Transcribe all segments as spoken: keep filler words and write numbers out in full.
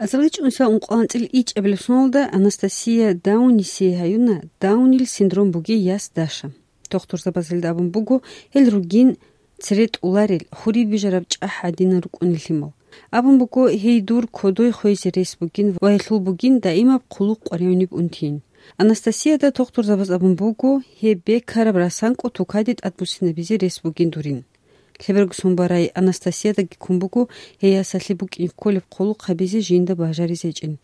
Азарилчи унса ункъоялда анцӀила ичӀабилеб соналда Анастасия Даунисие гьаюна Даунил синдром бугей яс Даша. Тухтурзабаз гьелда абун буго, гьел ругин цере тӀоларел, хури бижараб чӀахӀ гӀадинал рукӀунел лъимал. Абун буго, гьей дур кодой хвезе рес бугин ва гьелъул бугин даимаб хъулухъ къваригӀунеб унтин. Анастасияда тухтурзабаз абун буго, гьеб бекараб расанкӀо тукаде тӀадбуссинабизе рес бугин дурин. Лъеберго сон барай Анастасиядаги ккун буго гьей ясалъе букӀине кколеб хъулухъ гьабизе жинда бажаризе гьечӀин.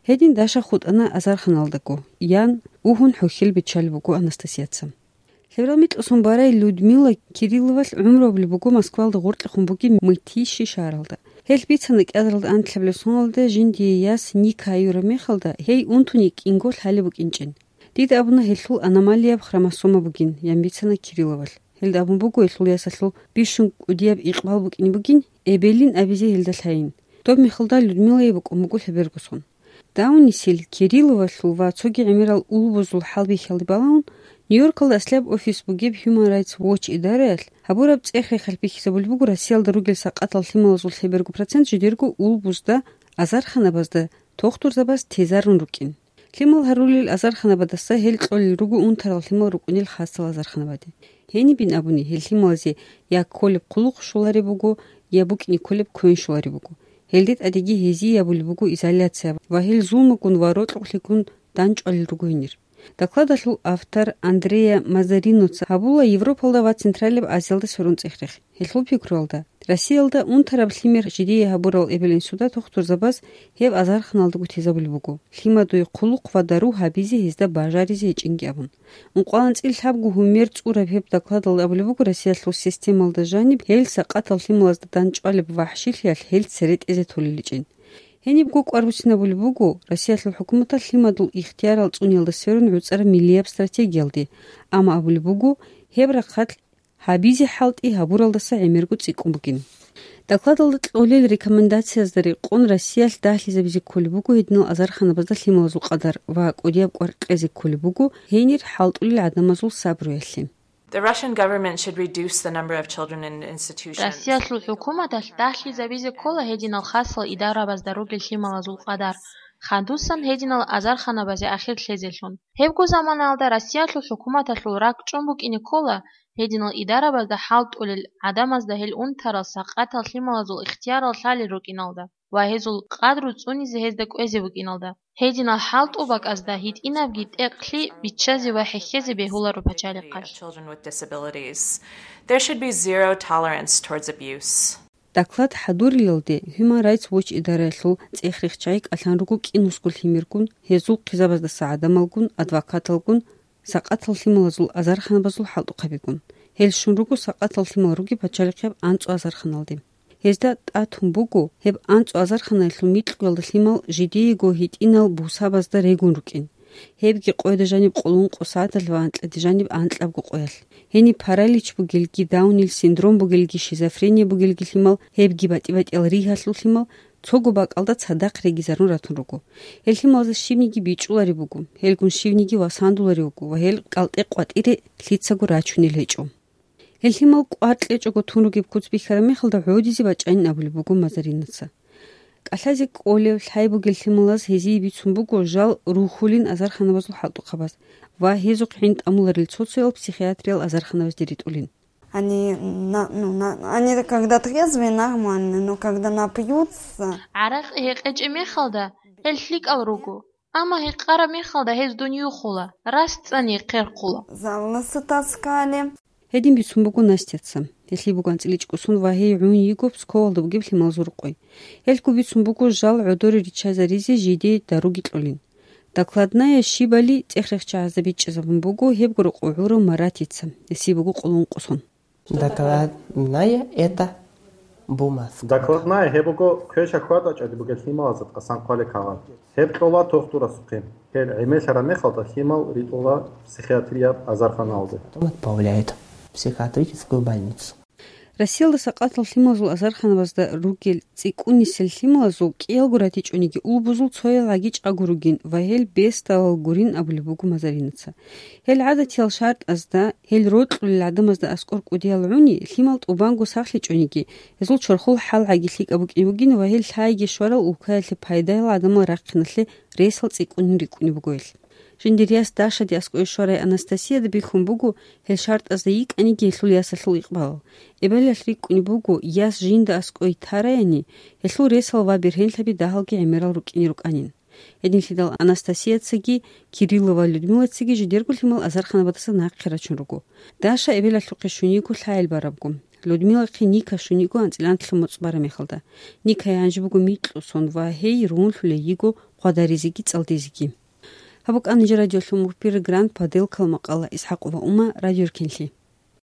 Гьедин Даша хутӀана азарханалдаго, ян, угьун хӀухьел биччалеб буго Анастасияца. Лъеберал микьго сон барай Людмила Кирилловалъ гӀумру гьабулеб буго Москвалда гъоркьехун бугеб Мытищи шагьаралда. Гьелъ бицана кӀиазаралда анлъабилеб соналда жиндие яс Ника гьаюраб мехалда, гьей унтуни кӀинго лъалеб букӀинчӀин. Дида абуна гьелъул аномалияб хромосома бугин, ян бицана Кирилловалъ. Гьелда абун буго гьелъул ясалъул бищун кӀудияб икъбал букӀине бугин, эбелин абизе гьелда лъайин. Доб мехалда Людмилае букӀун буго лъеберго сон. Даунисел, Кирилловалъул ва цоги гӀемерал улбузул хӀалбихьалде балагьун, Нью-Йоркалда аслияб офис бугеб Human Rights Watch идараялъ гьабураб цӀех-рехалъ бихьизабулеб буго Россиялда ругел сакъатал лъималазул лъеберго процент жидерго улбузда, азарханабазда, тухтурзабаз тезарун рукӀин. Лъимал гьарулел азарханабадаса гьел кьолел руго унтарал лъимал рукӀунел хасал азарханабаде. Гьенибин абуни, гьел лъималазе я кколеб хъулухъ щолареб буго, я букӀине кколеб квен щолареб буго. Гьелде тӀадеги гьезие гьабулеб буго изоляция ва гьел зулмугун ва рокьукълъигун данчӀвалел руго гьенир. Докладалъул автор Андреа Мазариноца гьабула Европалда ва Централияб Азиялда сверун цӀех-рех. Гьелъул пикруялда, Россиялда унтараб лъимер жидее гьабурал эбел-инсуда тухтурзабаз гьеб азарханалдаго тезабулеб буго, лъимадуе хъулухъ ва дару гьабизе гьезда бажаризе гьечӀинги абун. Ункъоялда анцӀила лъабго гьумер цӀураб гьеб докладалда абулеб буго Россиялъул системалда жаниб гьел сакъатал лъималазда данчӀвалеб вахӀшилъиялъ гьел цере тӀезе толеличӀин. Гьенибго кӀвар буссинабулеб буго Россиялъул хӀукуматалъ лъимадул ихтиярал цӀуниялда сверун гӀуцӀараб миллияб стратегиялде, амма абулеб буго, гьеб рахъалъ гьабизе хӀалтӀи гьабуралдаса гӀемерго цӀикӀкӀун бугин. Докладалда кьолел рекомендациязда рекъон Россиялъ дагьлъизабизе кколеб буго гьединал азарханабазда лъималазул къадар ва кӀудияб кӀвар кьезе кколеб буго гьенир хӀалтӀулел гӀадамазул сабруялъе. The Russian government should reduce the number of children in institutions. Россиялъул хӀукуматалъ дагьлъизабизе ккола гьединал хасал идарабазда ругел лъималазул къадар, хадусан гьединал азарханабазе ахир лъезелъун. Гьебго заманаялда Россиялъул хӀукуматалъул ракӀчӀун букӀине ккола гьединал идарабазда хӀалтӀулел гӀадамазда гьел унтарал сакъатал лъималазул ихтиярал лъалел рукӀиналда ва гьезул къадру цӀунизе гьезда кӀвезе букӀиналда. Гьединал хӀалтӀул бакӀазда гьитӀинабги тӀекълъи биччазе ва хӀехьезе бегьуларо пачалихъалъ. Children with disabilities. There should be zero tolerance towards abuse. Доклад хӀадурилалде Human Rights Watch идараялъул цӀех-рехчагӀи кӀалъан руго кӀинусго лъимергун, гьезул хъизабаздаса гӀадамалгун, адвокаталгун, сакъатал лъималазул азарханабазул хӀалтӀухъабигун. Гьел щун руго сакъатал лъимал ругеб пачалихъияб анцӀу азарханалде. Гьезда тӀатун буго, гьеб анцӀу азарханаялъул микьуялда лъимал жидеего гьитӀинал бусабазда регун рукӀин. Гьебги къояда жаниб къоло ункъо сагӀаталъ ва анкьаде жаниб анкьабго къоялъ. Гьениб паралич бугелги, Даунил синдром бугелги, шизофрения бугелги лъимал, гьебги батӀи-батӀиял ригьалъул лъимал, цого бакӀалда цадахъ регизарун ратун руго. Гьел лъималазда щибниги бичӀчӀулареб буго, гьелгун щивниги васандуларев вуго ва гьел кӀалтӀе-къватӀире лъицаго рачунел гьечӀо. Гьел лъимал кӀвар кьечӀого тун ругеб куц бихьараб мехалда гӀодизе бачӀанин абулеб буго Мазаринаца. КӀалъазе кӀолев, лъай бугел лъималаз гьезие бицун буго жал рухьулин азарханабазул хӀалтӀухъабаз ва гьезухъ гӀин тӀамуларел цо-цоял психиатриял азарханабазде ритӀулин. Они, на-, ну, на-, они когда трезвые, нормально, но когда напьются. ГӀаракь гьекъечӀеб мехалда гьел лъикӀал руго, амма гьекъараб мехалда гьез дунюхула, рас цӀани хъерхъула. За волосы таскали. Гьедин бицун буго Настяца. Гьелъие буго анцӀила ичӀго сон ва гьей гӀун йиго Псковалда бугеб лъималазул рукъой. Гьелъго бицун буго жал гӀодоре риччазаризе жидее даруги кьолин. Докладная щибали цӀех-рехчагӀазда бичӀчӀизабун буго гьебго рокъов гӀурав Маратица. Гьесие буго къоло ункъо сон. Докладная — это бумажка. Докладная — гьеб буго квеша хьвадачӀаги бугел лъималазда тӀасан хъвалел кагъат. Гьеб кьола тухтурасухъе. Гьел гӀемерлъараб мехалда лъимал ритӀула психиатрияб азарханалде. Потом отправляют в психиатрическую больницу. Россиялда сакъатал лъималазул азарханабазда ругел цӀикӀкӀунисел лъималазул кӀиялго ратичӀониги улбузул цоял гӀаги чӀаго ругин ва гьел бесдалал гурин абулеб буго Мазаринаца. Гьел гӀадатиял шартӀазда, гьел рокьулел гӀадамазда аскӀор кӀудиял гӀуни, лъимал тӀубанго сахлъичӀониги, гьезул чорхол хӀал гӀаги лъикӀаб букӀин бугин ва гьел лъайги щварал улкаялъе пайдаял гӀадамал рахъиналъе ресал цӀикӀкӀунин рикӀкӀунеб буго гьел. Жиндир яс Дашаде аскӀове щварай Анастасияда бихьун буго, гьел шартӀазда йикӀаниги гьелъул ясалъул икъбалал. Эбелалъ рикӀкӀунеб буго, яс жинда аскӀове тараяни, гьелъул ресал ва бергьенлъаби дагьалги гӀемерал рукӀине рукӀанин. Гьединлъидал Анастасияцаги, Кирилла ва Людмилацаги жидерго лъимал азарханабаздаса нахъе рачун руго. Даша эбелалъухъе щун йиго лъагӀел барабго. Людмилахъе Ника щун йиго анцӀила анкьлъун моцӀ бараб мехалда. Никае гьанже буго микьго сон ва гьей ругьунлъулей йиго хъвадаризеги цӀалдизеги. Гьаб букӀана жо радиолъун мухбир Гранд Паделкал макъала. ИсхӀакъ ва Ума, радиоркенлъи.